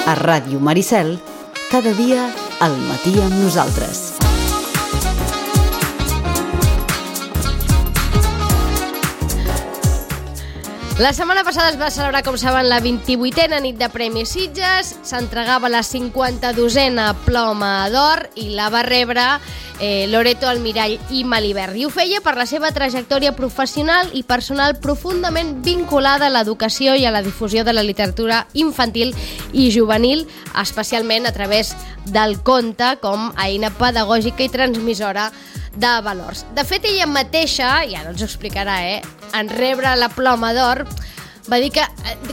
A Ràdio Maricel, cada dia al matí amb nosaltres. La setmana passada es va celebrar, com saben, la 28a nit de Premis Sitges, s'entregava la 52a Ploma d'Or i la va rebre Loreto Almirall i Malibert. I ho feia per la seva trajectòria professional i personal profundament vinculada a l'educació i a la difusió de la literatura infantil i juvenil, especialment a través del conte com a eina pedagògica i transmissora de valors. De fet, ella mateixa, ja no ens ho explicarà, en rebre la Ploma d'Or, va dir que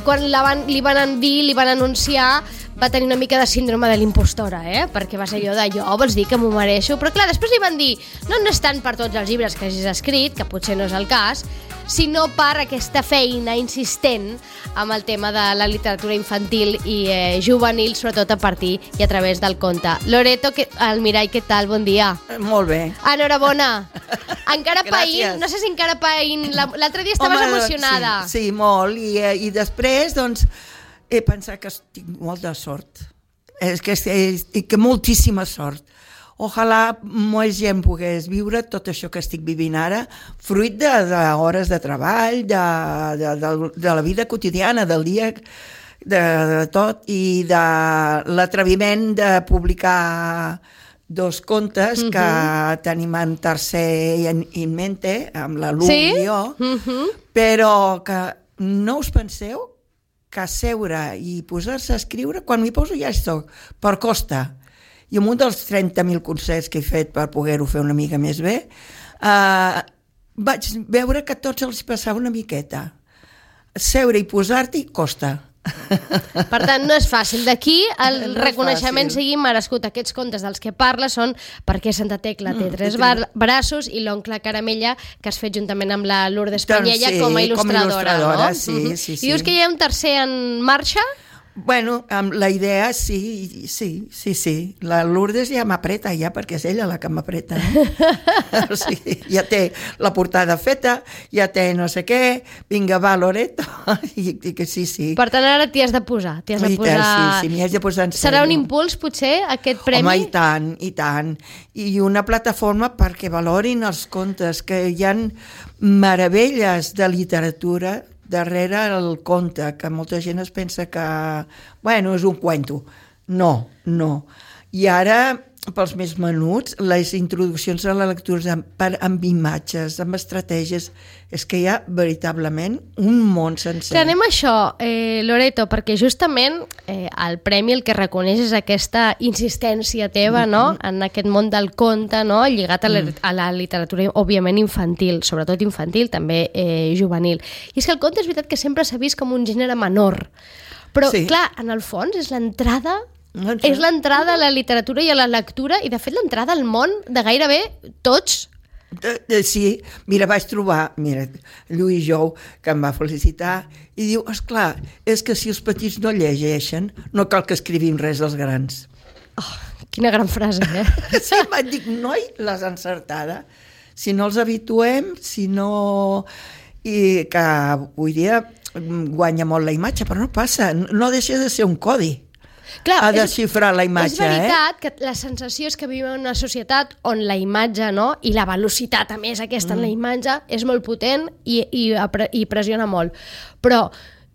quan li van anunciar, va tenir una mica de síndrome de l'impostora, perquè va ser allò de jo, vols dir que m'ho mereixo? Però clar, després li van dir, no és tant per tots els llibres que hagis escrit, que potser no és el cas, sinó per aquesta feina insistent amb el tema de la literatura infantil i juvenil, sobretot a partir i a través del conte. Loreto Almirall, què tal? Bon dia. Molt bé. Enhorabona. Encara païnt, no sé si encara païnt, l'altre dia estaves emocionada. Sí, molt, i després, doncs, he pensat que tinc molta sort. És que moltíssima sort. Ojalà molta gent pogués viure tot això que estic vivint ara, fruit d'hores de treball, de la vida quotidiana, del dia, de tot, i de l'atreviment de publicar 2 contes que tenim en tercer in mente, amb la Lu i jo, però que no us penseu que seure i posar-se a escriure, quan m'hi poso ja estic per costa. I amb un dels 30.000 concerts que he fet per poder-ho fer una mica més bé, vaig veure que a tots els passava una miqueta. Seure i posar-t'hi costa. Per tant, no és fàcil. D'aquí el reconeixement sigui merescut. Aquests contes dels que parla són Perquè Santa Tecla té 3 braços i L'oncle Caramella, que has fet juntament amb la Lourdes Panyella com a il·lustradora. Sí. I dius que hi ha un tercer en marxa? Bueno, amb la idea, sí. La Lourdes ja m'apreta, perquè és ella la que m'apreta. O sigui, ja té la portada feta, ja té no sé què, vinga, va, Loreto, i que sí. Per tant, ara t'hi has de posar. Sí, m'hi has de posar en sèrio. Serà un impuls, potser, aquest premi? Home, i tant. I una plataforma perquè valorin els contes, que hi ha meravelles de literatura darrere el conte, que molta gent es pensa que, bueno, és un cuento. No. I ara, pels més menuts, les introduccions a la lectura amb imatges, amb estratègies, és que hi ha veritablement un món sencer. Anem a això, Loreto, perquè justament el premi el que reconeix és aquesta insistència teva, no?, en aquest món del conte, no?, lligat a la literatura, òbviament, infantil, sobretot infantil, també juvenil. I és que el conte és veritat que sempre s'ha vist com un gènere menor, però, clar, en el fons és l'entrada a la literatura i a la lectura, i de fet l'entrada al món de gairebé tots. Sí, mira, vaig trobar Lluís Jou, que em va felicitar, i diu, esclar, és que si els petits no llegeixen, no cal que escrivim res dels grans. Oh, quina gran frase, Sí, vaig dir, noi, l'has encertada. Si no els habituem, si no... I que avui dia guanya molt la imatge, però no passa, no deixa de ser un codi. Clar, ha de xifrar la imatge. És veritat que la sensació és que vivim en una societat on la imatge, no?, i la velocitat, a més, aquesta en la imatge, és molt potent i pressiona molt. Però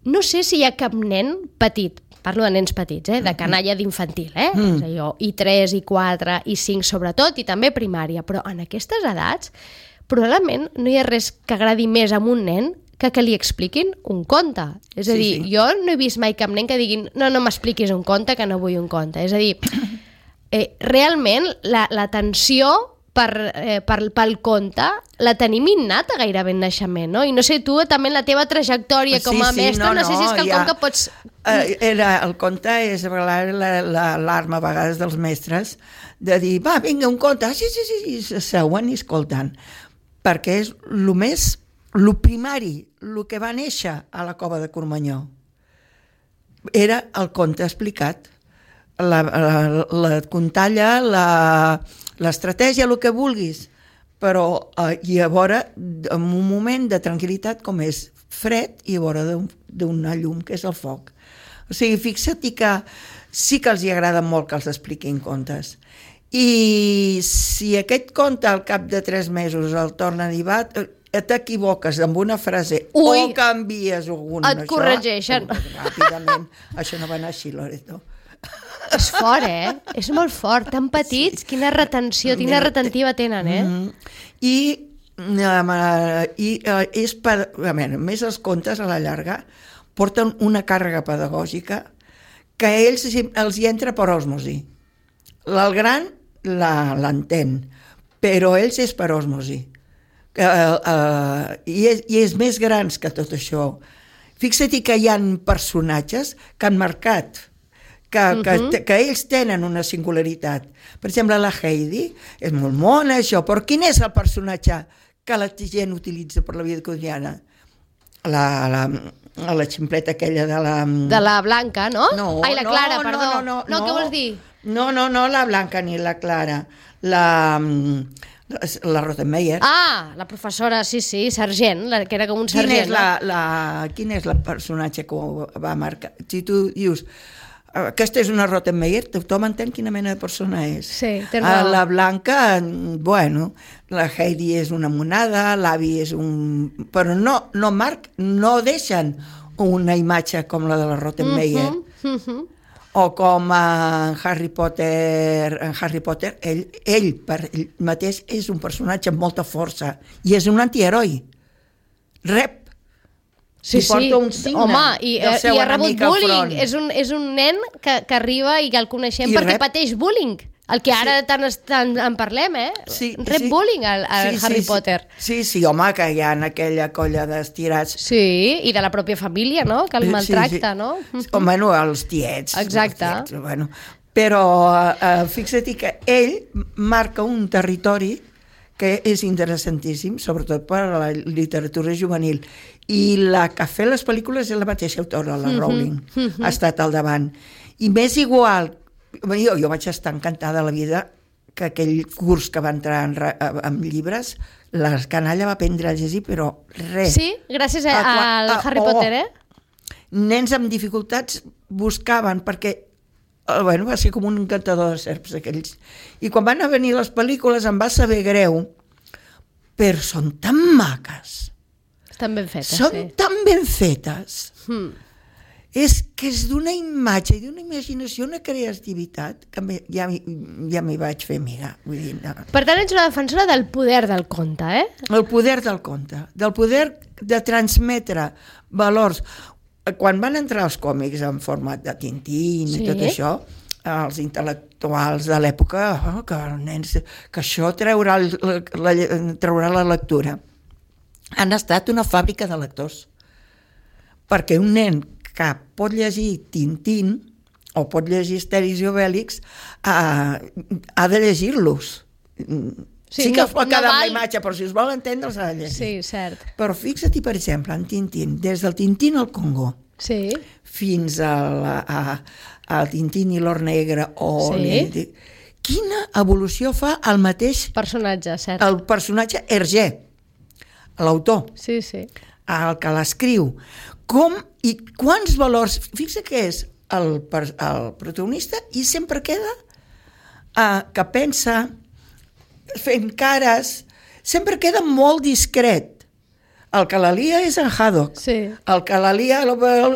no sé si hi ha cap nen petit, parlo de nens petits, de canalla d'infantil, I3, I4, I5 sobretot, i també primària, però en aquestes edats probablement no hi ha res que agradi més a un nen que li expliquin un conte. És a dir, jo no he vist mai cap nen que diguin no m'expliquis un conte, que no vull un conte. És a dir, realment l'atenció pel conte la tenim innata gairebé en naixement, no? I no sé, tu també en la teva trajectòria com a mestra, no sé si és quelcom que pots... El conte és l'arma a vegades dels mestres de dir, va, vinga, un conte, sí, seuen i escoltant, perquè és el primari, el que va néixer a la cova de Cormanyó. Era el conte explicat. La contalla, l'estratègia, el que vulguis, però i a veure, en un moment de tranquil·litat com és fred i a veure d'una llum, que és el foc. O sigui, fixa't que sí que els hi agrada molt que els expliquin contes. I si aquest conte al cap de 3 mesos el tornen i va, t'equivoques amb una frase o canvies alguna... Et corregeixen. Ràpidament. Això no va anar així, Loreto. És fort, És molt fort. Tan petits, quina retenció, quina retentiva tenen, I és per... A més, els contes a la llarga porten una càrrega pedagògica que a ells els hi entra per osmosi. El gran l'entén, però ells és per osmosi. I és més grans que tot això. Fixa't que hi ha personatges que han marcat, que ells tenen una singularitat. Per exemple, la Heidi és molt mona, això, però quin és el personatge que la gent utilitza per la vida quotidiana? La ximpleta aquella de la... De la Blanca, no? Ai, la Clara, perdó. No, què vols dir? No, la Blanca ni la Clara. La Rottenmeier. Ah, la professora, sí, Sargent, que era com un sergent. Quin és el personatge que va marcar? Si tu dius, aquesta és una Rottenmeier, tothom entén quina mena de persona és. Sí, té raó. La Blanca, bueno, la Heidi és una monada, l'avi és un... Però no deixen una imatge com la de la Rottenmeier. O com en Harry Potter, ell per ell mateix és un personatge amb molta força i és un antiheroi. Rep. Sí, home, i ha rebut bullying. Front. És un nen que arriba i que el coneixem perquè pateix bullying. El que ara tant en parlem, rep bullying al Harry Potter. Sí, home, que hi ha aquella colla d'estirats. Sí, i de la pròpia família, no?, que el maltracta, no? Bueno, els tiets. Exacte. Bueno, però fixa't que ell marca un territori que és interessantíssim, sobretot per a la literatura juvenil. I la que ha fet les pel·lícules és la mateixa autora, la Rowling. Ha estat al davant. I m'és igual... Jo vaig estar encantada de la vida que aquell curs que va entrar amb llibres, la canalla va aprendre a llegir, però res. Sí? Gràcies al Harry Potter, Nens amb dificultats buscaven, perquè va ser com un encantador de serps aquells. I quan van a venir les pel·lícules em va saber greu, però són tan maques. Estan ben fetes, Són tan ben fetes. És que és d'una imatge i d'una imaginació, una creativitat, que ja m'hi vaig fer amiga. Vull dir, no. Per tant, ets una defensora del poder del conte, El poder del conte, del poder de transmetre valors. Quan van entrar els còmics en format de Tintín i tot això, els intel·lectuals de l'època, que els nens, que això traurà la lectura. Han estat una fàbrica de lectors. Perquè un nen que pot llegir Tintín o pot llegir Astèrix i Obèlix ha de llegir-los. Sí que es pot quedar amb la imatge, però si es vol entendre s'ha de llegir. Sí, cert. Però fixa't, per exemple, en Tintín, des del Tintín al Congo fins al Tintín i l'Or Negre quina evolució fa el mateix personatge, cert. El personatge Hergé, l'autor, el que l'escriu. Com i quants valors... Fixa que és el protagonista i sempre queda que pensa, fent cares, sempre queda molt discret. El que la lia és en Haddock. El que la lia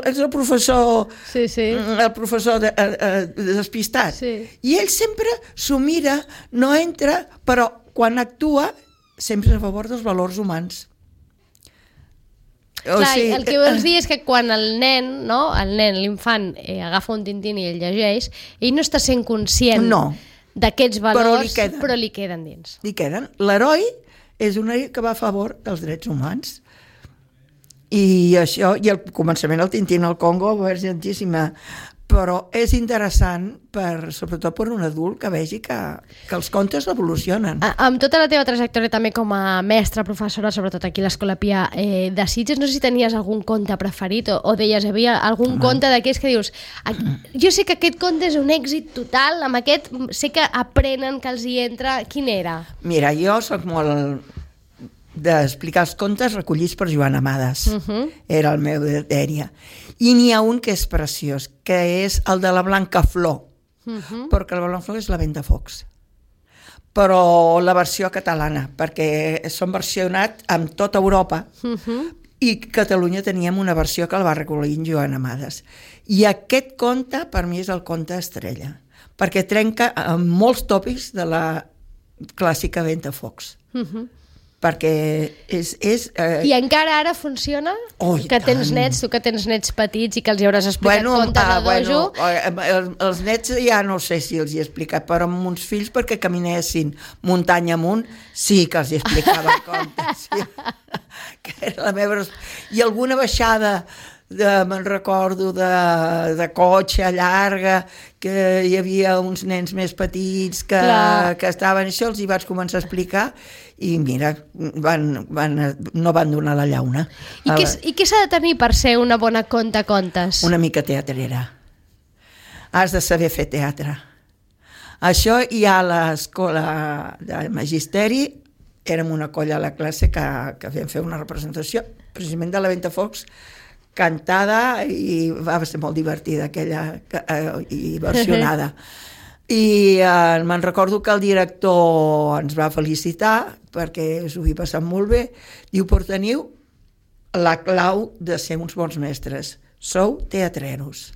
és el professor el professor despistat. I ell sempre s'ho mira, no entra, però quan actua sempre a favor dels valors humans. El que vols dir és que quan el nen, l'infant, agafa un Tintín i el llegeix, ell no està sent conscient d'aquests valors, però li queden dins. Li queden. L'heroi és un heroi que va a favor dels drets humans. I això, i al començament el Tintín al Congo va ser gentíssima, però és interessant sobretot per un adult que vegi que els contes evolucionen. Amb tota la teva trajectòria també com a mestra, professora, sobretot aquí a l'Escola Pia de Sitges, no sé si tenies algun conte preferit o deies, hi havia algun conte d'aquells que dius, jo sé que aquest conte és un èxit total, amb aquest sé que aprenen, que els hi entra. Quin era? Mira, jo soc molt d'explicar els contes recollits per Joan Amades. Era el meu dèria. I n'hi ha un que és preciós, que és el de la Blanca Flor, perquè la Blanca Flor és la Ventafocs. Però la versió catalana, perquè són versionat amb tota Europa, i Catalunya teníem una versió que el va recollir en Joan Amades. I aquest conte, per mi, és el conte estrella, perquè trenca amb molts tòpics de la clàssica Ventafocs. Perquè és I encara ara funciona? Que tens nets, tu que tens nets petits i que els hi hauràs explicat contes de dojo? Els nets ja no sé si els hi he explicat, però amb uns fills perquè caminessin muntanya amunt, sí que els hi explicava contes. Sí. Que era la meva... I alguna baixada, me'n recordo, de cotxe llarga, que hi havia uns nens més petits que estaven això, els hi vaig començar a explicar i mira, no van donar la llauna. I què s'ha de tenir per ser una bona contacontes? Una mica teatrera. Has de saber fer teatre. Això hi ha a l'escola de magisteri, érem una colla a la classe que vam fer una representació precisament de la Ventafocs cantada i va ser molt divertida aquella i versionada. I me'n recordo que el director ens va felicitar perquè s'ho havia passat molt bé. Diu, però teniu la clau de ser uns bons mestres. Sou teatreros.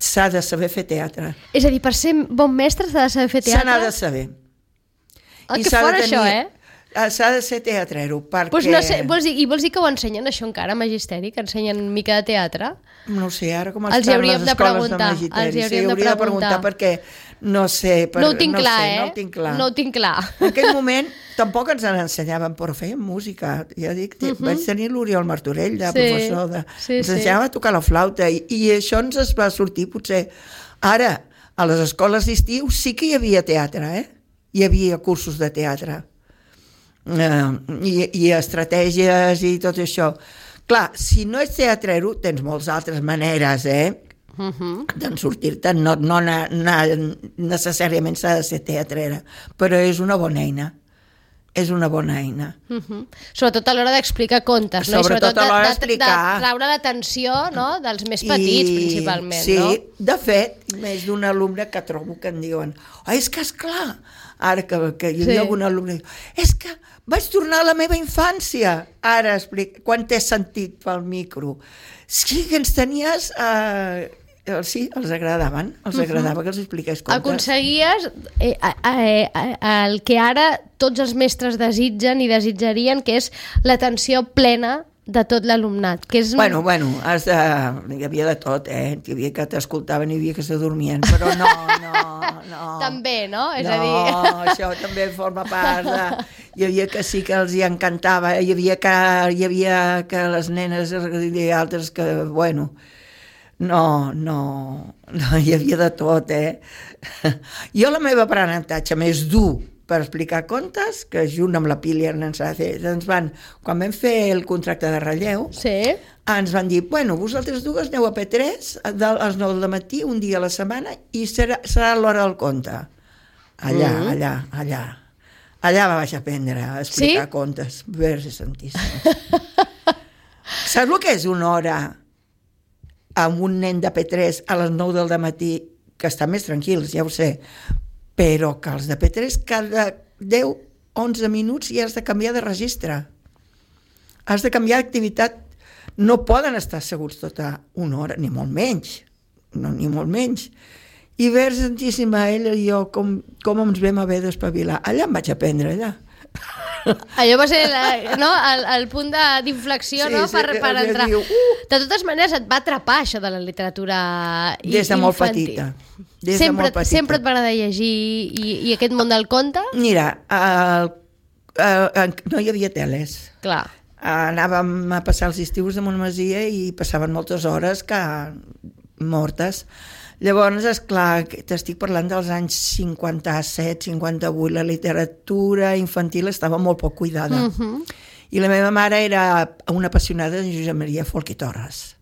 S'ha de saber fer teatre. És a dir, per ser bon mestre s'ha de saber fer teatre? Se n'ha de saber. Que fora això, S'ha de ser teatrero, perquè... Pues no sé, vols dir que ho ensenyen això encara a magisteri, que ensenyen mica de teatre? No sé, ara com estan les escoles de magisteri. Sí, hauria de preguntar perquè no sé... No ho tinc clar, No ho tinc clar. No ho tinc clar. En aquell moment tampoc ens ensenyaven, però fèiem música. Ja dic, vaig tenir l'Oriol Martorell, de professor de... Ens ensenyava a tocar la flauta i això ens es va sortir potser... Ara, a les escoles d'estiu sí que hi havia teatre, Hi havia cursos de teatre. I estratègies i tot això. Clar, si no ets teatrero, tens moltes altres maneres, d'en sortir-te. No necessàriament s'ha de ser teatrera, però és una bona eina. És una bona eina. Sobretot a l'hora d'explicar contes, no? Sobretot a l'hora d'explicar. De traure l'atenció, no? Dels més petits, principalment, no? Sí, de fet, més d'un alumne que trobo que em diuen és que esclar, ara que hi havia algun alumne, és que vaig tornar a la meva infància. Ara explica, quan t'he sentit pel micro. Sí que ens tenies... Sí, els agradaven, agradava que els expliqués contes. Aconseguies el que ara tots els mestres desitgen i desitjarien, que és l'atenció plena de tot l'alumnat. Que és... Bueno, hi havia de tot, Hi havia que t'escoltaven i hi havia que s'adormien, però no. També, no? És a dir... No, això també forma part de... Hi havia que sí que els hi encantava, hi havia que les nenes i altres que, bueno... No, hi havia de tot, Jo la meva aprenentatge més dur per explicar contes, que junt amb la Pília ens quan vam fer el contracte de relleu, ens van dir, vosaltres dues aneu a P3 a les 9 del matí, un dia a la setmana, i serà l'hora del conte. Allà vaig aprendre a explicar contes. Verge santíssim. Saps el que és una hora amb un nen de P3 a les 9 del matí, que estan més tranquils, ja ho sé, però que els de P3 cada 10-11 minuts ja has de canviar de registre. Has de canviar d'activitat. No poden estar asseguts tota una hora, ni molt menys. Ni molt menys. I Verge Santíssima, ella i jo, com ens vam haver d'espavilar. Allà em vaig aprendre, allà. Allò va ser el punt d'inflexió, per entrar. De totes maneres, et va atrapar això de la literatura infantil. Des de molt petita. Sempre et va agradar llegir i aquest món del conte? Mira, no hi havia teles. Clar. Anàvem a passar els estius de Montmasia i passaven moltes hores mortes. Llavors, esclar, t'estic parlant dels anys 57, 58, la literatura infantil estava molt poc cuidada. I la meva mare era una apassionada de Josep Maria Folch i Torres.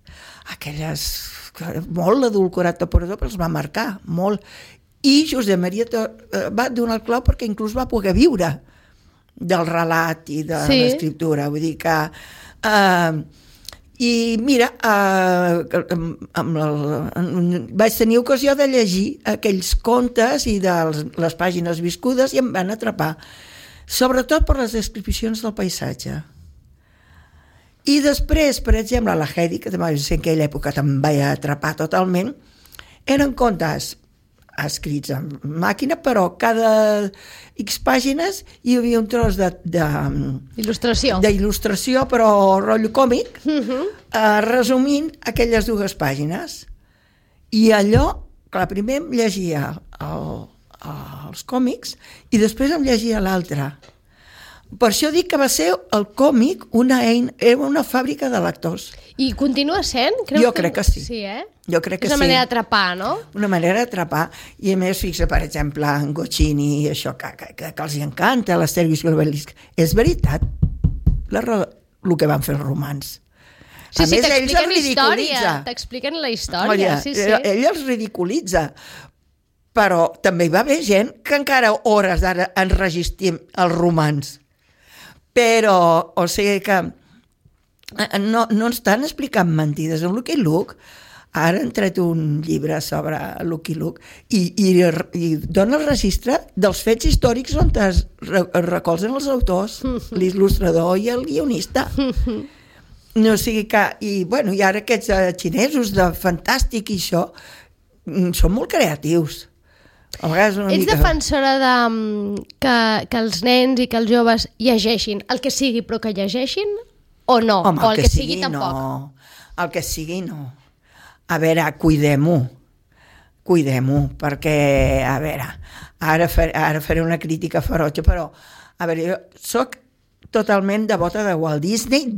Aquelles... molt l'adulcorat de Porador, però els va marcar, molt. I Josep Maria va donar el clau perquè inclús va poder viure del relat i de l'escriptura. Vull dir que... I mira, vaig tenir ocasió de llegir aquells contes i de les pàgines viscudes i em van atrapar, sobretot per les descripcions del paisatge. I després, per exemple, la Heidi, que també en aquella època també em vaig atrapar totalment, eren contes escrits en màquina, però cada X pàgines hi havia un tros d'il·lustració, però rotllo còmic, resumint aquelles dues pàgines. I allò, clar, primer em llegia els còmics i després em llegia l'altre. Per això dic que va ser el còmic era una fàbrica de lectors. I continua sent? Jo crec que sí. Sí, eh? Jo crec que és una manera d'atrapar, no? Una manera d'atrapar. I a més, fixa, per exemple, en Goscinny i això, que els encanta, l'Astèrix i l'Obelix. És veritat el que van fer els romans. Sí, sí, t'expliquen història. T'expliquen la història, sí. Ell els ridiculitza. Però també hi va haver gent que encara hores d'ara enregistrim els romans. Però, o sigui que no ens estan explicant mentides. En Lucky Luke, ara han tret un llibre sobre Lucky Luke i dona el registre dels fets històrics on es recolzen els autors, l'il·lustrador i el guionista. No sigui que... I ara aquests xinesos de fantàstic i això són molt creatius. Ets defensora que els nens i que els joves llegeixin el que sigui, però que llegeixin o no? Home, o el que sigui tampoc? No. El que sigui no. A veure, cuidem-ho, perquè, a veure, ara faré una crítica ferotge, però, a veure, jo soc totalment devota de Walt Disney,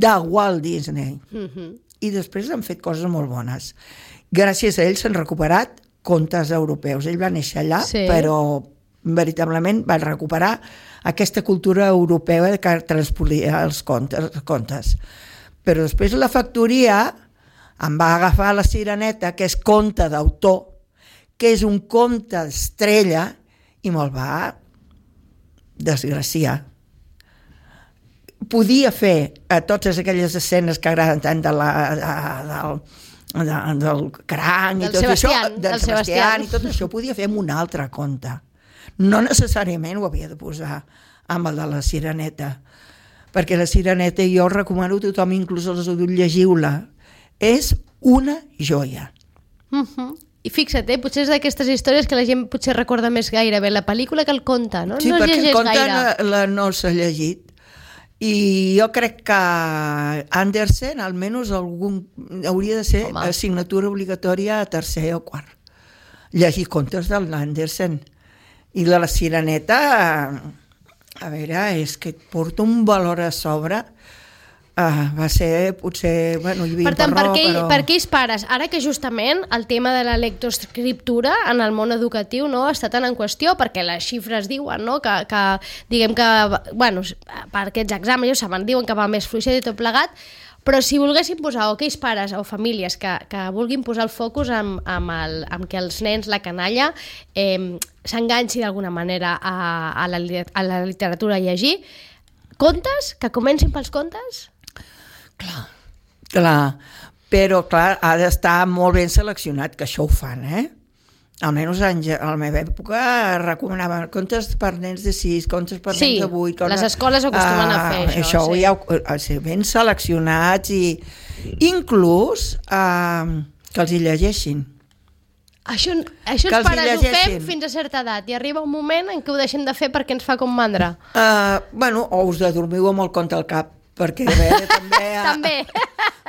i després han fet coses molt bones. Gràcies a ells s'han recuperat contes europeus. Ell va néixer allà, sí, però veritablement va recuperar aquesta cultura europea que transpolia els contes. Però després la factoria em va agafar La Sireneta, que és conte d'autor, que és un conte estrella, i me'l va desgraciar. Podia fer totes aquelles escenes que agraden tant del cranc i tot això, del Sebastián i tot això, podia fer amb un altre conte. No necessàriament ho havia de posar amb el de La Sireneta, perquè La Sireneta, jo recomano a tothom, inclús els adults, llegiu-la. És una joia. I fixa't, potser és d'aquestes històries que la gent potser recorda més gairebé la pel·lícula que el conte, no? Sí, no perquè el conte no s'ha llegit. I jo crec que Andersen, almenys hauria de ser assignatura obligatòria a tercer o quart. Llegir contes de l'Andersen. I de La Sireneta, a veure, és que et porta un valor a sobre. Va ser, potser, hi havia per tant, per aquells pares, ara que justament el tema de la lectoescriptura en el món educatiu no està tan en qüestió, perquè les xifres diuen que diguem que, per aquests exàmens, ja saben, diuen que va més fluixet i tot plegat, però si volguessin posar, o aquells pares o famílies que vulguin posar el focus amb que els nens, la canalla, s'enganxi d'alguna manera a la literatura a llegir, contes, que comencin pels contes? Clar, però clar, ha d'estar molt ben seleccionat, que això ho fan, Almenys a la meva època recomanaven contes per nens de 6, contes per nens de 8... Sí, les escoles acostumen a fer això. Això, ben seleccionats i inclús que els hi llegeixin. Això els pares ho fem fins a certa edat i arriba un moment en què ho deixem de fer perquè ens fa com mandra. O us adormiu amb el conte al cap, perquè a veure, també...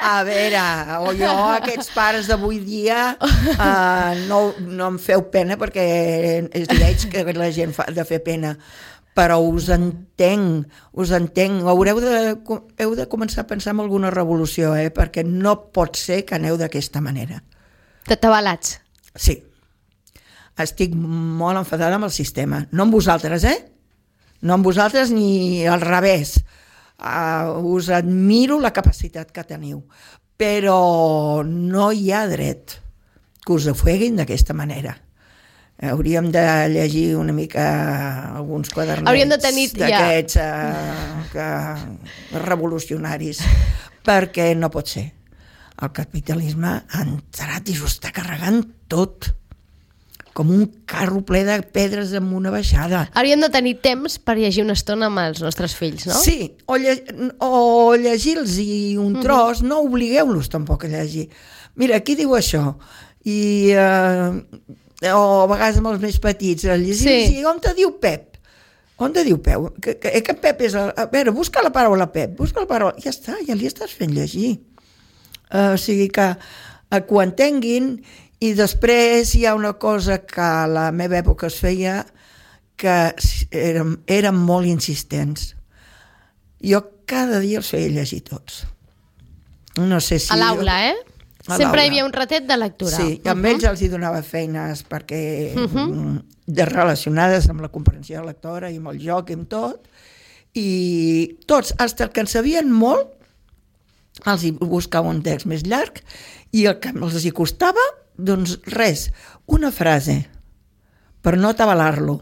A veure, o jo, aquests pares d'avui dia, no em feu pena perquè veig que la gent fa de fer pena, però us entenc. Heu de començar a pensar en alguna revolució, perquè no pot ser que aneu d'aquesta manera. T'atabalats. Sí. Estic molt enfadada amb el sistema. No amb vosaltres, No amb vosaltres ni al revés. Us admiro la capacitat que teniu, però no hi ha dret que us ofeguin d'aquesta manera. Hauríem de llegir una mica alguns quadernets d'aquests revolucionaris, perquè no pot ser. el capitalisme ha entrat i s'ho està carregant tot, com un carro ple de pedres amb una baixada. Hauríem de tenir temps per llegir una estona amb els nostres fills, no? Sí, o llegir-los un tros, no obligueu-los tampoc a llegir. Mira, aquí diu això, i o a vegades amb els més petits, a llegir-los, i on te diu Pep? On te diu Pep? Que Pep és... A veure, busca la paraula Pep, busca la paraula... Ja està, ja li estàs fent llegir. O sigui que ho entenguin. I després hi ha una cosa que a la meva època es feia, que érem molt insistents. Jo cada dia els feia llegir tots. No sé si... A l'aula, Sempre hi havia un ratet de lectura. Sí, i amb ells els hi donava feines perquè relacionades amb la comprensió lectora i amb el joc i amb tot. I tots, fins que en sabien molt, els hi buscava un text més llarg i el que els hi costava, doncs res, una frase, per no atabalar-lo.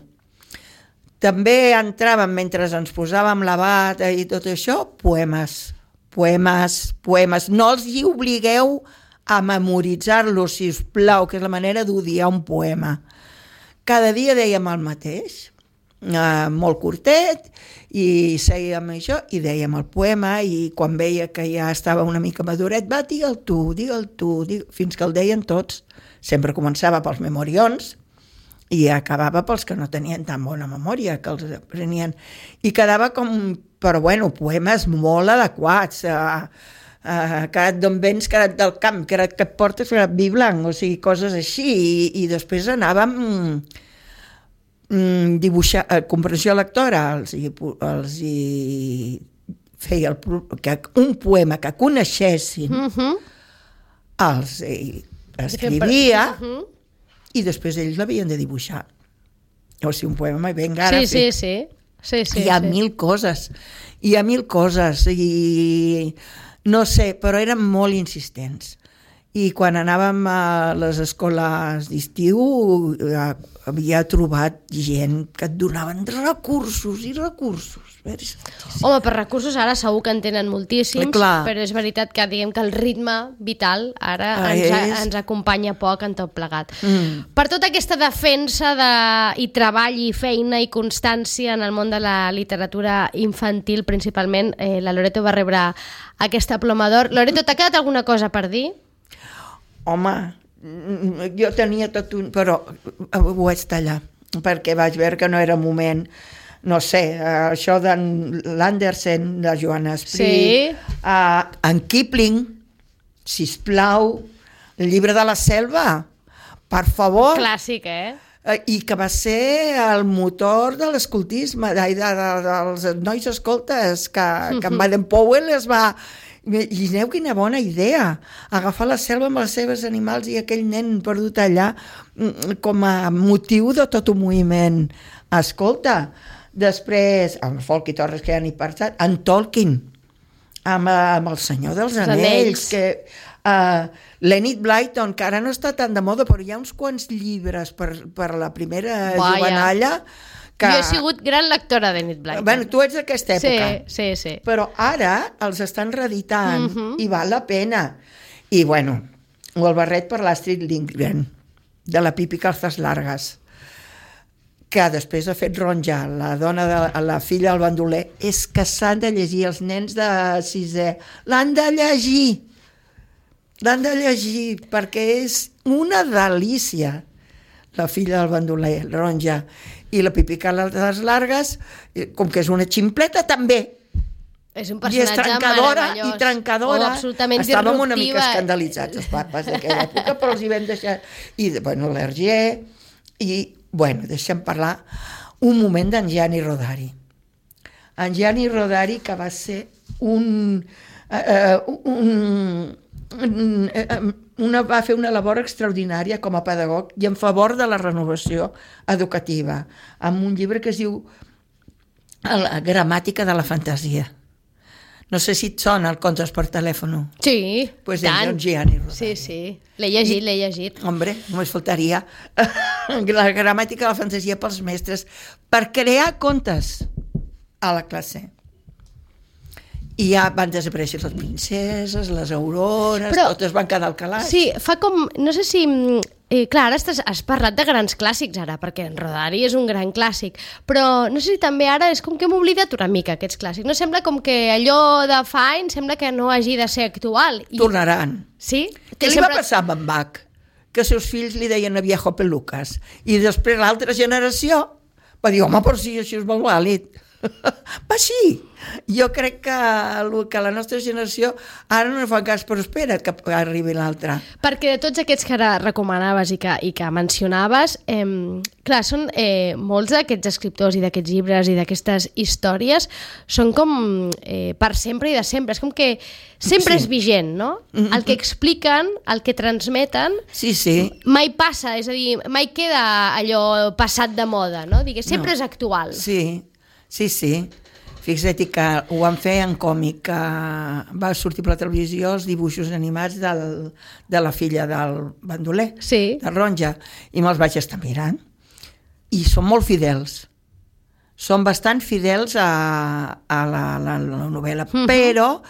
També entraven, mentre ens posàvem la bata i tot això, poemes. No els hi obligueu a memoritzar-los, si us plau, que és la manera d'odiar un poema. Cada dia dèiem el mateix, molt curtet, i sèiem això i dèiem el poema, i quan veia que ja estava una mica maduret, va, digue'l tu, fins que el deien tots. Sempre començava pels memorions i acabava pels que no tenien tan bona memòria, que els aprenien, i quedava com, però bueno, poemes molt adequats, carat d'on vens, carat del camp, carat que et portes, carat vi blanc, o sigui, coses així, i després anàvem dibuixar, comprensió lectora, els hi feia un poema que coneixessin, els escrivia i després ells l'havien de dibuixar. O sigui, un poema ben gràfic. Sí. Hi ha mil coses, i no sé, però eren molt insistents. I quan anàvem a les escoles d'estiu havia trobat gent que et donaven recursos i recursos. Home, per recursos ara segur que en tenen moltíssims, però és veritat que diguem que el ritme vital ara ens acompanya poc en tot plegat. Per tota aquesta defensa i treball i feina i constància en el món de la literatura infantil, principalment, la Loreto va rebre aquesta Ploma d'Or. Loreto, t'ha quedat alguna cosa per dir? Home, jo tenia tot un... però ho vaig tallar, perquè vaig veure que no era moment. No sé, això d'en l'Andersen, de Joan Esprit, en Kipling, sisplau, el llibre de la selva, per favor. Clàssic, I que va ser el motor de l'escoltisme, dels nois escoltes, que en Baden-Powell es va... Imagineu quina bona idea, agafar la selva amb els seus animals i aquell nen perdut allà com a motiu de tot un moviment. Escolta, després, amb Folk i Torres, que ja n'hi passat, en Tolkien, amb el Senyor dels Anells, l'Enid Blyton, que ara no està tan de moda, però hi ha uns quants llibres per la primera jovenalla. Jo he sigut gran lectora d'Enid Blyton. Bueno, tu ets d'aquesta època. Sí. Però ara els estan reeditant i val la pena. I bueno, o el barret per l'Astrid Lindgren, de la Pipi Calzas Largas, que després ha fet Ronja, la filla del bandoler. És que s'han de llegir, els nens de sisè. L'han de llegir, perquè és una delícia. La filla del bandoler, Ronja, i la Pipi Calzas Largas, com que és una ximpleta, també. És un personatge meravellós. I trencadora. Absolutament disruptiva. Estàvem una mica escandalitzats, els papes d'aquella època, però els hi vam deixar. I, bueno, l'Hergé, i, bueno, deixem parlar un moment d'en Gianni Rodari. En Gianni Rodari, que va ser va fer una labor extraordinària com a pedagog i en favor de la renovació educativa, amb un llibre que es diu La gramàtica de la fantasia. No sé si et sona el Contes per telèfon. Sí, pues tant. Gianni Rodari. Sí. L'he llegit. Hombre, només faltaria. La gramàtica de la fantasia pels mestres, per crear contes a la classe. I ja van desaparèixer les princeses, les aurores, Però- totes van quedar al calaix. Sí, fa com... No sé si... clar, ara has parlat de grans clàssics ara, perquè en Rodari és un gran clàssic, però no sé si també ara és com que hem oblidat una mica aquests clàssics. No sembla com que allò de fa anys sembla que no hagi de ser actual. Tornaran. Sí? Què li va passar amb en Bach? Que els seus fills li deien a viejo pelucas. I després l'altra generació va dir, home, però sí, això és molt vàlid. Va així. Jo crec que la nostra generació ara no fa cas, però espera que arribi l'altra. Perquè de tots aquests que ara recomanaves i que mencionaves, clar, són molts d'aquests escriptors i d'aquests llibres i d'aquestes històries són com per sempre i de sempre. És com que sempre és vigent, no? El que expliquen, el que transmeten, Sí. mai passa, és a dir, mai queda allò passat de moda, no? Digues, sempre és actual. Sí. Fixa't que ho van fer en còmic, que va sortir per la televisió els dibuixos animats de la filla del bandoler, Sí. de Ronja, i me'ls vaig estar mirant. I són molt fidels. Són bastant fidels a la novel·la, però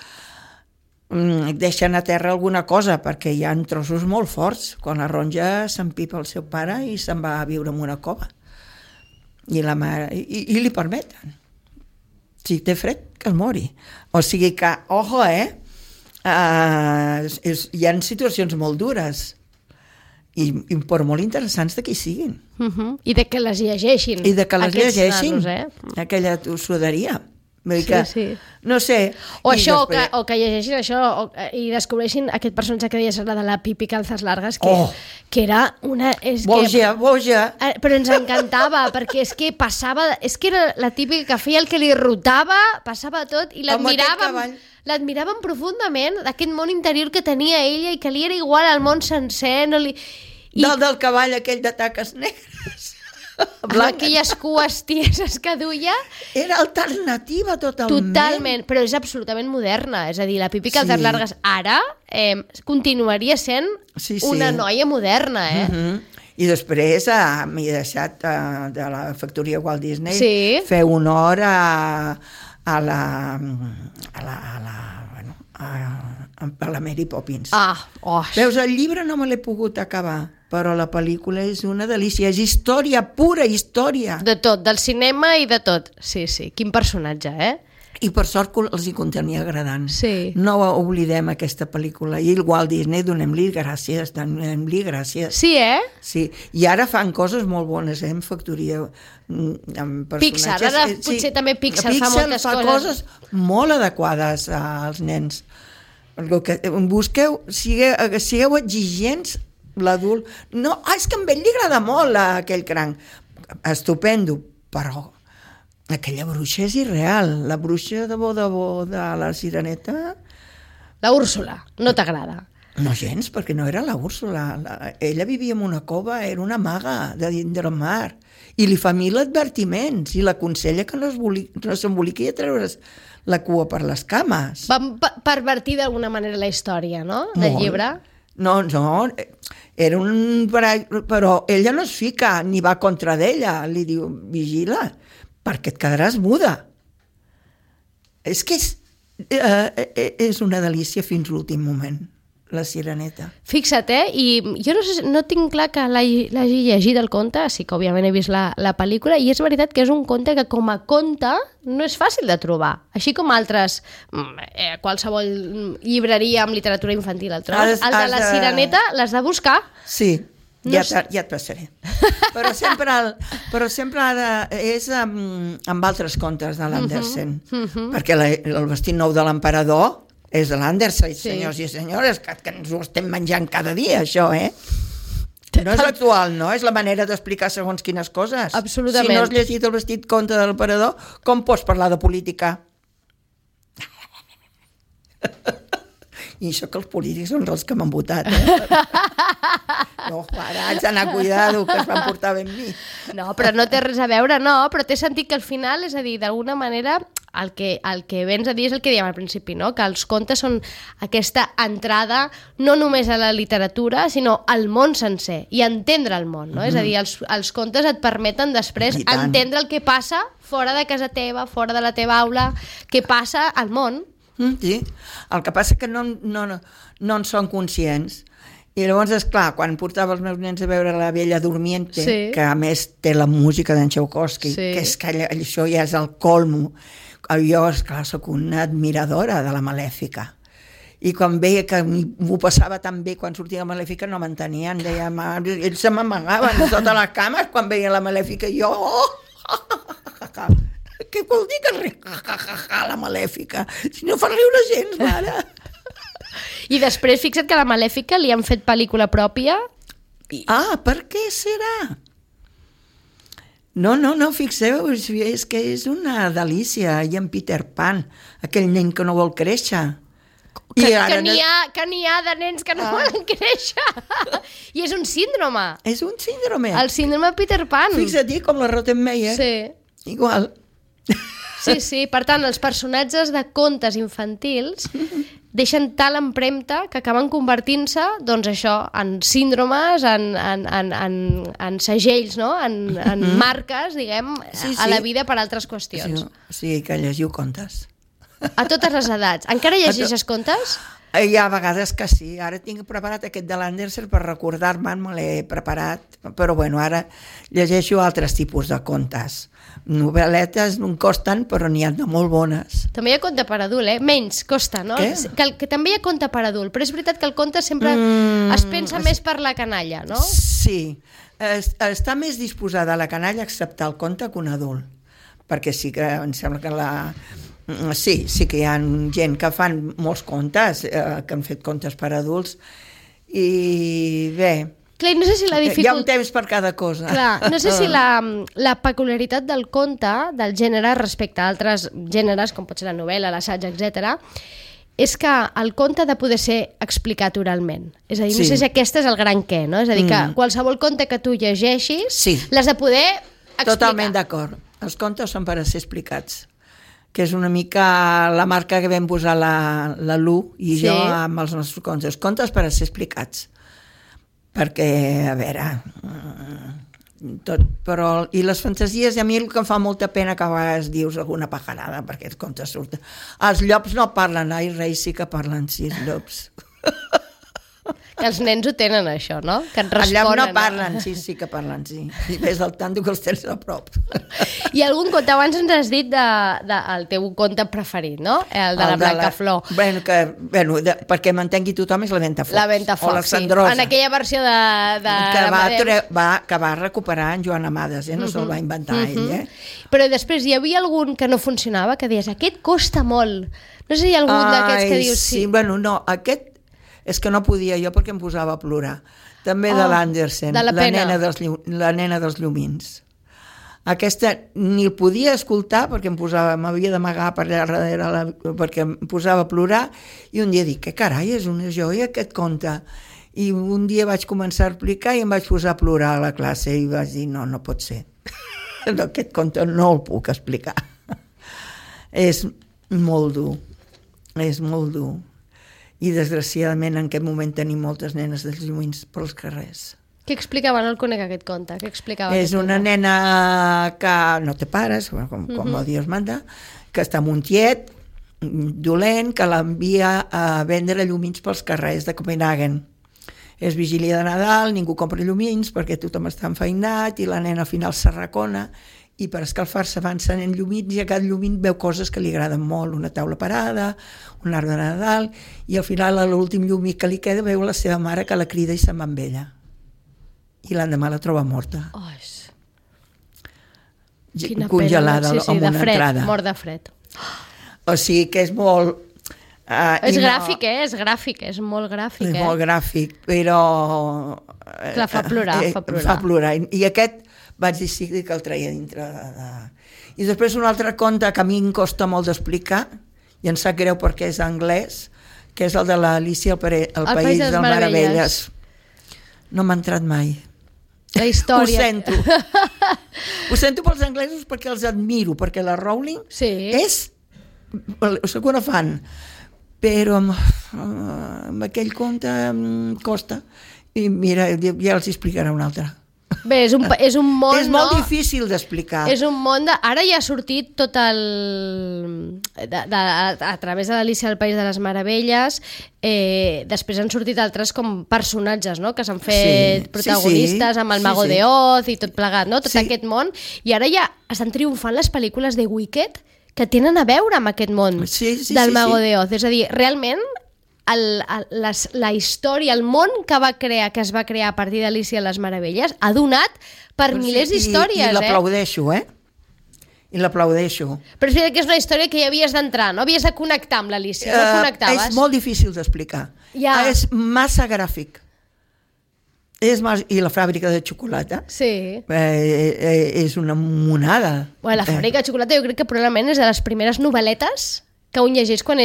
deixen a terra alguna cosa, perquè hi ha trossos molt forts. Quan la Ronja s'empipa el seu pare i se'n va a viure en una cova. I la mare, i li permeten. Si té fred, que es mori. O sigui que, ojo, hi ha situacions molt dures i per molt interessants de qui siguin. I de que les llegeixin. I de que les aquests llegeixin, nanos, aquella tossuderia. Vull dir que, Sí. no sé... O i això, després- o que llegeixin això i descobreixin aquest personatge que deies, la de la Pipi Calzas Largas, que, Oh! que era una... Boja. Però ens encantava, perquè és que passava... És que era la típica que feia el que li rotava, passava tot, i Amb aquest cavall. l'admiràvem profundament, d'aquest món interior que tenia ella i que li era igual al món sencer. No li... Dalt del cavall aquell de taques negres. Amb aquelles cues tieses que duia. Era alternativa totalment. Totalment, però és absolutament moderna. És a dir, la Pipi Calzas Sí. Largas ara continuaria sent Sí. una noia moderna, I després m'he deixat de la factoria Walt Disney Sí. fer honor a la Mary Poppins. Veus, el llibre no me l'he pogut acabar, però la pel·lícula és una delícia, és història, pura història. De tot, del cinema i de tot. Sí, quin personatge, I per sort que els hi continua agradant. Sí. No oblidem aquesta pel·lícula. I el Walt Disney, donem-li gràcies. Sí, Sí, i ara fan coses molt bones, en factoria, amb personatges. Pixar, ara potser també Pixar fa moltes coses molt adequades als nens. El que busqueu, sigueu exigents, l'adult. No, és que a ell li agrada molt aquell cranc. Estupendo, però aquella bruixa és irreal. La bruixa de bo de la Sireneta... La Úrsula, no t'agrada? No gens, perquè no era la Úrsula. Ella vivia en una cova, era una maga de dins del mar. I li fa 1000 advertiments i l'aconsella que no s'emboliqui a treure's la cua per les cames. Van pervertir d'alguna manera la història, no?, del llibre. No, era un... Però ella no es fica ni va contra d'ella. Li diu, vigila, perquè et quedaràs muda. És que és una delícia fins l'últim moment, la Sireneta. Fixa't, i jo no tinc clar que l'hagi llegit el conte, sí que òbviament he vist la pel·lícula, i és veritat que és un conte que com a conte no és fàcil de trobar, així com altres, qualsevol llibreria amb literatura infantil el trobes. El de la Sireneta l'has de buscar. Sí, ja et passaré. Però sempre és amb altres contes de l'Andersen, perquè el vestit nou de l'emperador és de l'Andersen, senyors i senyores, que ens ho estem menjant cada dia, això, No és actual, no? És la manera d'explicar segons quines coses. Absolutament. Si no has llegit el vestit conte de l'emperador, com pots parlar de política? I això que els polítics són els que m'han votat, No, ara haig d'anar cuidado, que es van portar ben mi. No, però no té res a veure, no, però té sentit que al final, és a dir, d'alguna manera, el que vens a dir és el que dèiem al principi, no? Que els contes són aquesta entrada no només a la literatura, sinó al món sencer, i entendre el món, no? És a dir, els contes et permeten després entendre el que passa fora de casa teva, fora de la teva aula, què passa al món. Sí, el que passa que no en són conscients. I llavors, esclar, quan portava els meus nens a veure La Bella Durmiente, que a més té la música d'en Tchaikovsky, que és que això ja és el colmo. Jo, esclar, soc una admiradora de la Malèfica. I quan veia que m'ho passava tan bé quan sortia la Malèfica, no m'entenien. Ells se m'amagaven sota les cames quan veia la Malèfica. I jo... Què vol dir que la Malèfica? Si no fa riure gens, mare. I després, fixa't que a la Malèfica li han fet pel·lícula pròpia. Per què serà? No, fixeu, és que és una delícia. I en Peter Pan, aquell nen que no vol créixer. Que n'hi ha de nens que no volen créixer. I és un síndrome. És un síndrome. El síndrome Peter Pan. Fixa't, com la Rottenmeier. Sí. Igual. Sí. Per tant, els personatges de contes infantils deixen tal empremta que acaben convertint-se, doncs això, en síndromes, en segells, no? En marques, diguem, a la vida per altres qüestions. Sí, que llegiu contes. A totes les edats. Encara llegeixes contes? Hi ha vegades que sí. Ara tinc preparat aquest de l'Andersen per recordar-me'n, me l'he preparat, però bueno, ara llegeixo altres tipus de contes. Novel·letes no em costen, però n'hi ha de molt bones. També hi ha conte per adult, menys costa, no? Que també hi ha conte per adult, però és veritat que el conte sempre es pensa més per la canalla, no? Sí, està més disposada la canalla a acceptar el conte que un adult, perquè sí que em sembla que Sí que hi ha gent que fan molts contes, que han fet contes per adults, i bé... Clar, no sé si la hi ha un temps per cada cosa. Clar, no sé si la peculiaritat del conte, del gènere, respecte a altres gèneres, com pot ser la novel·la, l'assaig, etc., és que el conte ha de poder ser explicat oralment. És a dir, no sé si aquest és el gran què, no? És a dir, que qualsevol conte que tu llegeixis l'has de poder explicar. Totalment d'acord. Els contes són per a ser explicats, que és una mica la marca que vam posar la Lu i jo amb els nostres contes. Contes per a ser explicats. Perquè, a veure, i les fantasies, a mi el que em fa molta pena que a vegades dius alguna pajarada, perquè els contes surten. Els llops no parlen, reis sí que parlen, sí, els llops. Que els nens ho tenen, això, no? Que et responen. Els llops no parlen, sí que parlen, sí. I ves el tanto que els tens a prop. I algun conte, abans ens has dit el teu conte preferit, no? El de la Blancaflor. Perquè m'entengui tothom, és la Ventafocs. La Ventafocs, sí. En aquella versió que va recuperar en Joan Amades, no se'l va inventar ell. Però després hi havia algun que no funcionava, que deies, aquest costa molt. No sé si hi ha algun d'aquests que dius sí. Bueno, no, aquest és que no podia jo perquè em posava a plorar. També de l'Andersen, la nena dels llumins. Aquesta ni el podia escoltar perquè m'havia d'amagar per allà darrere perquè em posava a plorar, i un dia dic, que carai, és una joia aquest conte. I un dia vaig començar a explicar i em vaig posar a plorar a la classe i vaig dir, no pot ser. Aquest conte no el puc explicar. És molt dur. I desgraciadament en aquest moment tenim moltes nenes dels llumins pels carrers. Què explicava? No el conec, aquest conte. Què explicava? És una nena que no té pares, com Dios manda, que està amb un tiet dolent que l'envia a vendre llumins pels carrers de Copenhagen. És vigília de Nadal, ningú compra llumins perquè tothom està enfeinat i la nena al final s'arracona i per escalfar-se va encenent llumins i a cada llumín veu coses que li agraden molt, una taula parada, un arbre de Nadal, i al final a l'últim llumí que li queda veu la seva mare que la crida i se'n va amb ella. I l'endemà la troba morta. Congelada amb una entrada. Mort de fred. O sigui que és molt... És gràfic, és gràfic, és molt gràfic. És molt gràfic, però... Clar, fa plorar. Fa plorar. I aquest vaig decidir que el treia dintre I després un altre conte que a mi em costa molt d'explicar, i em sap greu perquè és anglès, que és el de l'Alícia al País de les Meravelles. No m'ha entrat mai. La història. Ho sento pels anglesos perquè els admiro, perquè la Rowling és... Soc una fan, però amb aquell conte em costa. I mira, ja els explicaré un altre. Bé, és un món, és molt difícil d'explicar. És un món de... Ara ja ha sortit tot el... a través de l'Alícia del País de les Meravelles, després han sortit altres com personatges, no?, que s'han fet protagonistes amb el Mago de Oz i tot plegat, no?, tot aquest món, i ara ja estan triomfant les pel·lícules de Wicked que tenen a veure amb aquest món del Mago de Oz. És a dir, realment la història, el món que es va crear a partir d'Alícia de les Meravelles ha donat per milers d'històries. I l'aplaudeixo, I l'aplaudeixo. Però és que és una història que hi havies d'entrar, no? Havies de connectar amb l'Alícia, no connectaves. És molt difícil d'explicar. És massa gràfic. I la fàbrica de xocolata és una monada. La fàbrica de xocolata jo crec que probablement és de les primeres novel·letes que un llegeix quan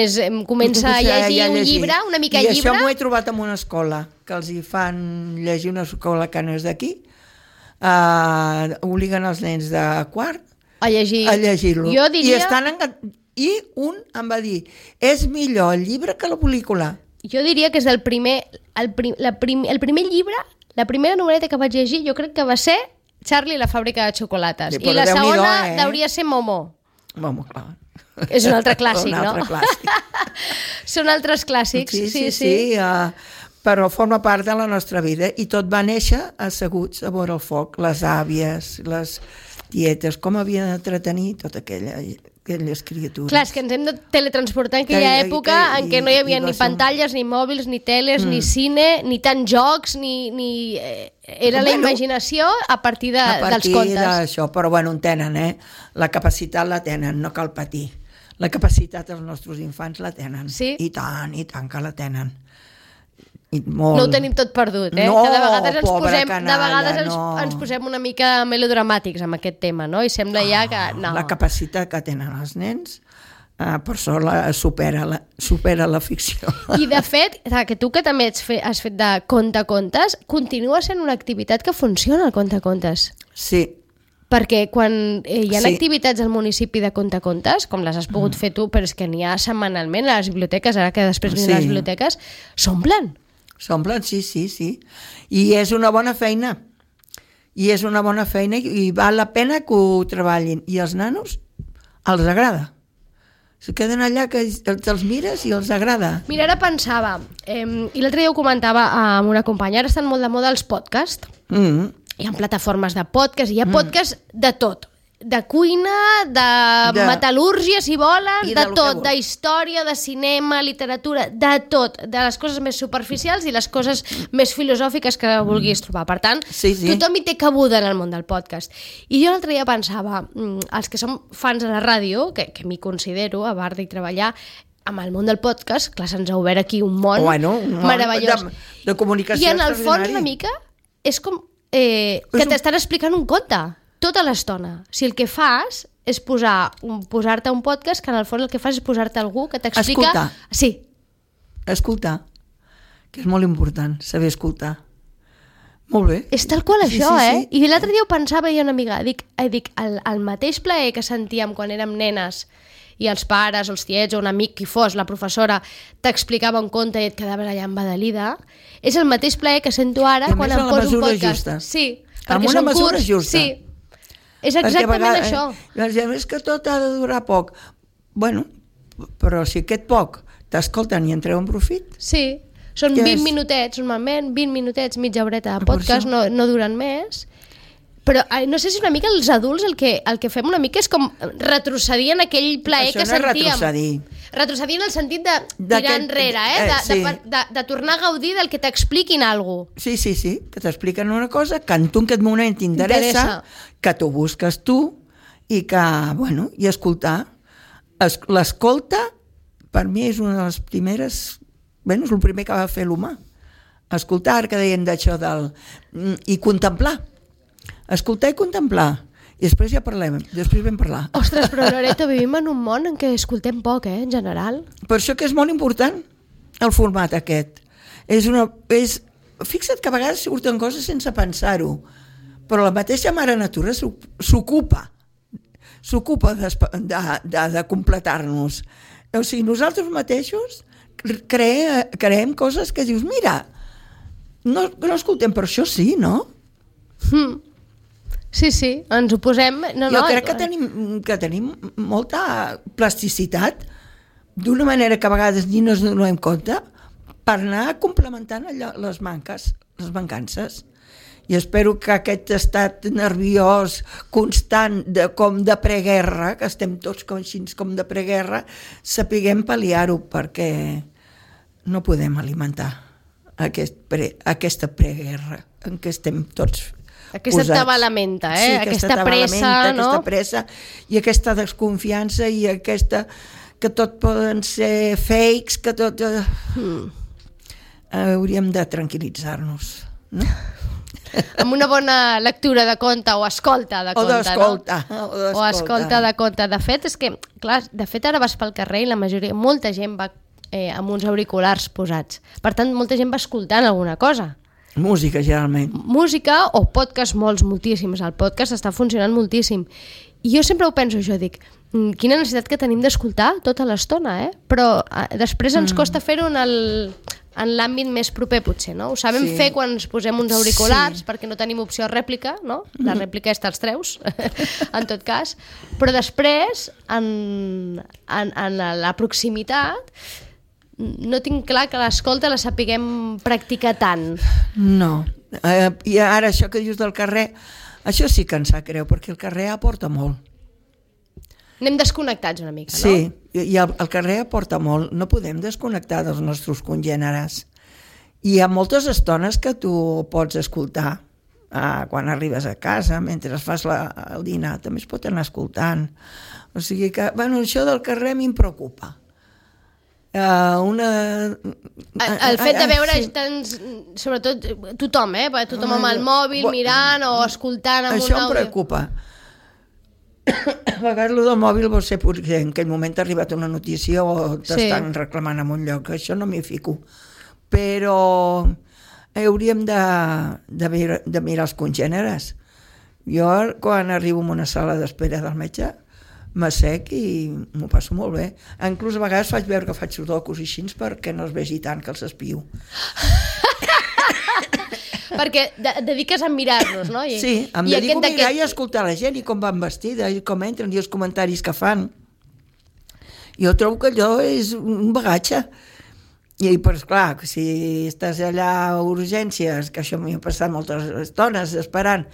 comença a llegir un llibre, una mica llibre. I això m'ho he trobat en una escola, que els hi fan llegir una escola que no és d'aquí, obliguen els nens de quart a llegir-lo. Jo diria... I un em va dir, és millor el llibre que la pel·lícula. Jo diria que és el primer llibre, la primera novel·leta que vaig llegir, jo crec que va ser Charlie i la fàbrica de xocolates. I la segona hauria de ser Momo. Momo, clar. És un altre clàssic, no? Un altre clàssic. Són altres clàssics, sí. Però forma part de la nostra vida i tot va néixer asseguts a vora el foc, les àvies, les tietes, com havien d'entretenir totes aquelles criatures. Clar, és que ens hem de teletransportar en aquella època en què no hi havia ni pantalles, ni mòbils, ni teles, ni cine, ni tant jocs, ni... Era la imaginació a partir dels contes. A partir d'això, però bueno, en tenen, la capacitat la tenen, no cal patir. La capacitat dels nostres infants la tenen. Sí? I tant que la tenen. No ho tenim tot perdut, No, que de vegades pobra canalla, ens posem una mica melodramàtics amb aquest tema, no? I sembla ja que... No. La capacitat que tenen els nens per sort supera la ficció. I de fet, que tu que també has fet de contacontes, continua sent una activitat que funciona, el contacontes. Sí. Perquè quan hi ha activitats al municipi de contacontes, com les has pogut fer tu, però és que n'hi ha setmanalment a les biblioteques, ara que després venen les biblioteques, s'omplen. S'omplen, sí. I és una bona feina. I val la pena que ho treballin. I als nanos els agrada. Se queden allà que els mires i els agrada. Mira, ara pensava, i l'altre dia ho comentava amb una companya, ara estan molt de moda els podcasts. Hi ha plataformes de podcast, hi ha podcast de tot. De cuina, de metal·lúrgia, si volen, de tot, d'història, de cinema, literatura, de tot, de les coses més superficials i les coses més filosòfiques que vulguis trobar. Per tant, tothom hi té cabuda en el món del podcast. I jo l'altre dia pensava, els que som fans de la ràdio, que m'hi considero, a part d'hi treballar, amb el món del podcast, clar, se'ns ha obert aquí un món meravellós. De comunicació i en el fons una mica és com que t'estan explicant un conte tota l'estona. Si el que fas és posar-te un podcast, que en el fons el que fas és posar-te algú que t'explica... Escoltar. Sí. Escoltar. Que és molt important, saber escoltar. Molt bé. És tal qual això, sí. I l'altre dia ho pensava jo una amiga. Dic, el mateix plaer que sentíem quan érem nenes i els pares, els tiets o un amic, qui fos, la professora, t'explicava un conte i et quedaves allà embadalida, és el mateix plaer que sento ara quan em poso un podcast. Justa. Sí, amb una mesura justa. Sí. És exactament això. És que tot ha de durar poc. Bueno, però si aquest poc t'escolten i en treuen profit... Sí, són 20 minutets, normalment, 20 minutets, mitja horeta de podcast, no duren més. Però no sé si una mica els adults el que fem una mica és com retrocedir en aquell plaer que sentíem. Retrocedir en el sentit de tirar enrere, de tornar a gaudir del que t'expliquin alguna cosa. Sí, que t'expliquen una cosa que en tu en aquest moment t'interessa, que t'ho busques tu i que, bueno, i escoltar. L'escolta, per mi, és una de les primeres... Bueno, és el primer que va fer l'humà. Escoltar, que deien d'això i contemplar. Escoltar i contemplar. I després ja parlem, després vam parlar. Ostres, però Loreto, vivim en un món en què escoltem poc, en general. Per això que és molt important el format aquest. Fixa't que a vegades surten coses sense pensar-ho, però la mateixa mare natura s'ocupa de completar-nos. O sigui, nosaltres mateixos creem coses que dius, mira, no escoltem, però això sí, no? Sí, ens ho posem... Jo crec que tenim molta plasticitat, d'una manera que a vegades ni ens donem compte, per anar complementant les mancances. I espero que aquest estat nerviós constant com de preguerra, que estem tots com de preguerra, sapiguem pal·liar-ho, perquè no podem alimentar aquesta preguerra en què estem tots aquesta posats. tabalamenta, Sí, aquesta pressa, no? Aquesta pressa i aquesta desconfiança i aquesta que tot poden ser fakes, que tot... Hauríem de tranquil·litzar-nos, no? Amb una bona lectura de conte o escolta de conte, no? O escolta de conte. De fet, és que, clar, ara vas pel carrer i la majoria, molta gent va amb uns auriculars posats. Per tant, molta gent va escoltant alguna cosa. Música, generalment. Música o podcast, moltíssims. El podcast està funcionant moltíssim. I jo sempre ho penso, jo dic, quina necessitat que tenim d'escoltar tota l'estona, Però després ens costa fer-ho en l'àmbit més proper, potser, no? Ho sabem fer quan ens posem uns auriculars, perquè no tenim opció rèplica, no? La rèplica és te'ls treus, en tot cas. Però després, en la proximitat, no tinc clar que l'escolta la sapiguem practicar tant. No. I ara això que dius del carrer, això sí que ens sap greu, perquè el carrer aporta molt. Anem desconnectats una mica, no? Sí, i el carrer aporta molt. No podem desconnectar dels nostres congèneres. I hi ha moltes estones que tu pots escoltar quan arribes a casa, mentre fas el dinar, també es pot anar escoltant. O sigui que, això del carrer a mi em preocupa. El fet de veure sobretot tothom, tothom amb el mòbil mirant o escoltant amb un àudio. Això em preocupa. A vegades el del mòbil vol ser perquè en aquell moment t'ha arribat una notícia o t'estan reclamant en un lloc, això no m'hi fico, però hauríem de mirar els congèneres. Jo quan arribo a una sala d'espera del metge m'assec i m'ho passo molt bé. Inclús a vegades faig veure que faig sudokus i així perquè no es vegi tant que els espio. Perquè dediques a mirar-los, no? Sí, em dedico a mirar i a escoltar la gent i com van vestida i com entren i els comentaris que fan. Jo trobo que allò és un bagatge. I, però esclar, si estàs allà a urgències, que això m'hi ha passat moltes estones esperant,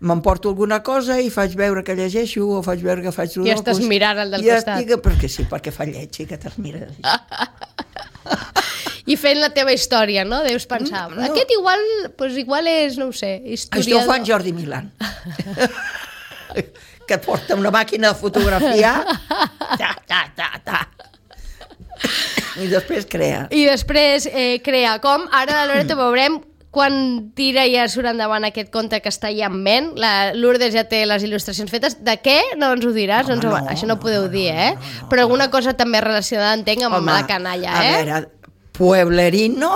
m'emporto alguna cosa i faig veure que llegeixo o faig veure que faig sudokus. I estàs mirant el del costat. Perquè sí, perquè fa lleig i que te'ls mires. I fent la teva història, no? Deus pensar, aquest igual és, no ho sé, historiador. Això ho fa en Jordi Milán. Que porta una màquina de fotografiar. I després crea. Com ara la Loreto veurem quan tira i ja surt endavant aquest conte que està ja en ment. La Lourdes ja té les il·lustracions fetes. De què? No ens ho diràs? Això no ho podeu dir, Però alguna cosa també relacionada, entenc, amb la canalla, A veure, pueblerino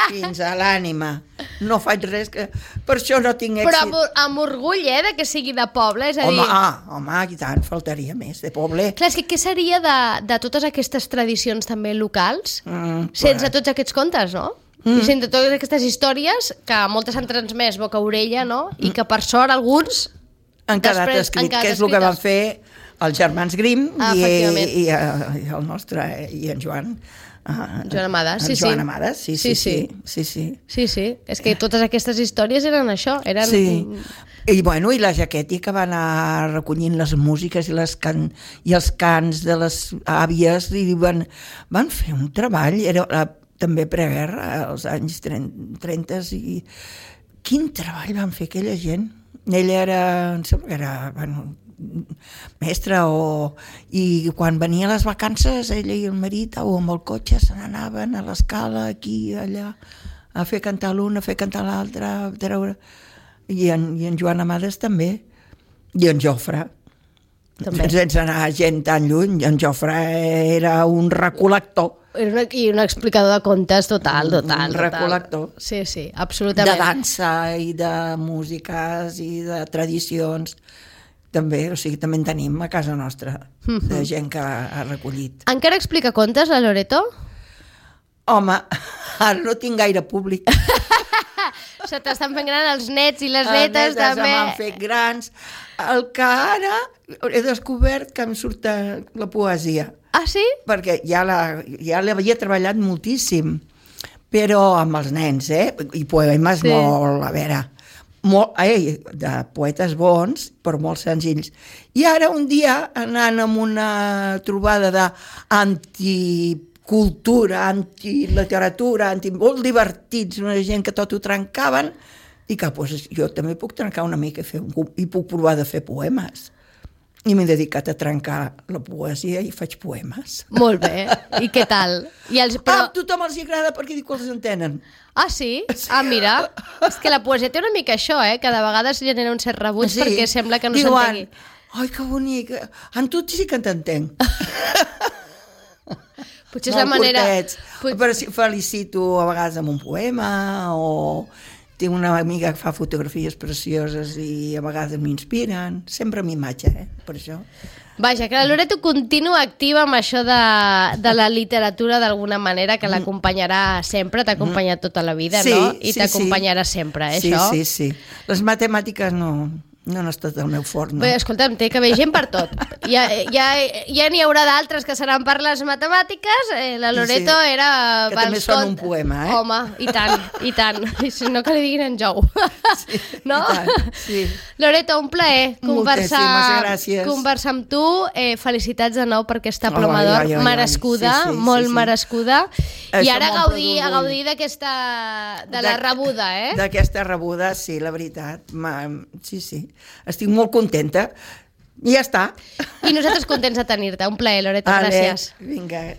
fins a l'ànima. No faig res que... Per això no tinc èxit. Però amb orgull, de que sigui de poble, és a dir... Home, i tant, faltaria més, de poble. Clar, és que què seria de totes aquestes tradicions també locals sense tots aquests contes, no? I sense totes aquestes històries que moltes han transmès boca a orella, no? I que per sort alguns han quedat escrit, que és el que van fer els germans Grimm i el nostre, i en Joan Amades, sí. Joan Amades, sí. Sí, és que totes aquestes històries eren això, Sí. I la Jaquetti, que va anar recollint les músiques i els cants de les àvies i van fer un treball, era també preguerra, als anys 30 i quin treball van fer aquella gent. Ella em sembla que era mestra i quan venia a les vacances ella i el marit amb el cotxe se n'anaven a l'escala aquí i allà a fer cantar l'un, a fer cantar l'altre, a treure... I en Joan Amades també, i en Jofre també. Sense anar gent tan lluny, en Jofre era un recol·lector. I un explicador de contes total. Un recol·lector. Sí, absolutament. De dansa i de músiques i de tradicions. També, també en tenim a casa nostra, de gent que ha recollit. Encara explica contes, la Loreto? Home, ara no tinc gaire públic. Se t'estan fent gran els nets i les netes, també. M'han fet grans. El que ara he descobert que em surt la poesia. Ah, sí? Perquè ja l'havia treballat moltíssim, però amb els nens, i poemes molt, a veure, de poetes bons, però molt senzills. I ara un dia, anant amb una trobada d'anticultura, antiliteratura, molt divertits, una gent que tot ho trencaven, i que doncs, jo també puc trencar una mica i puc provar de fer poemes. I m'he dedicat a trencar la poesia i faig poemes. Molt bé. I què tal? A tothom els agrada perquè diu que els entenen. Ah, sí? Ah, mira. És que la poesia té una mica això, que de vegades genera un cert rebuig perquè sembla que no s'entengui. Ai, que bonic. En tu sí que t'entenc. Potser és la manera... Però felicito a vegades amb un poema o... Tinc una amiga que fa fotografies precioses i a vegades m'inspiren. Sempre amb imatge, per això. Vaja, que la Loreto continua activa amb això de la literatura d'alguna manera, que l'acompanyarà sempre, t'ha acompanyat tota la vida, no? I t'acompanyarà sempre, això? Sí. Les matemàtiques no han estat el meu fort, no? Bé, escolta'm, té que haver gent per tot. Ja n'hi haurà d'altres que seran per les matemàtiques. La Loreto era... Que també són un poema, Home, i tant. I si no, que li diguin en Jou. No? I tant, sí. Loreto, un plaer conversar amb tu. Felicitats de nou per aquesta ploma d'or merescuda, molt merescuda. I ara a gaudir d'aquesta... de la rebuda, D'aquesta rebuda, sí, la veritat. Sí. Estic molt contenta. I ja està. I nosaltres contents de tenir-te. Un plaer, Loreto. Gràcies. Vinga.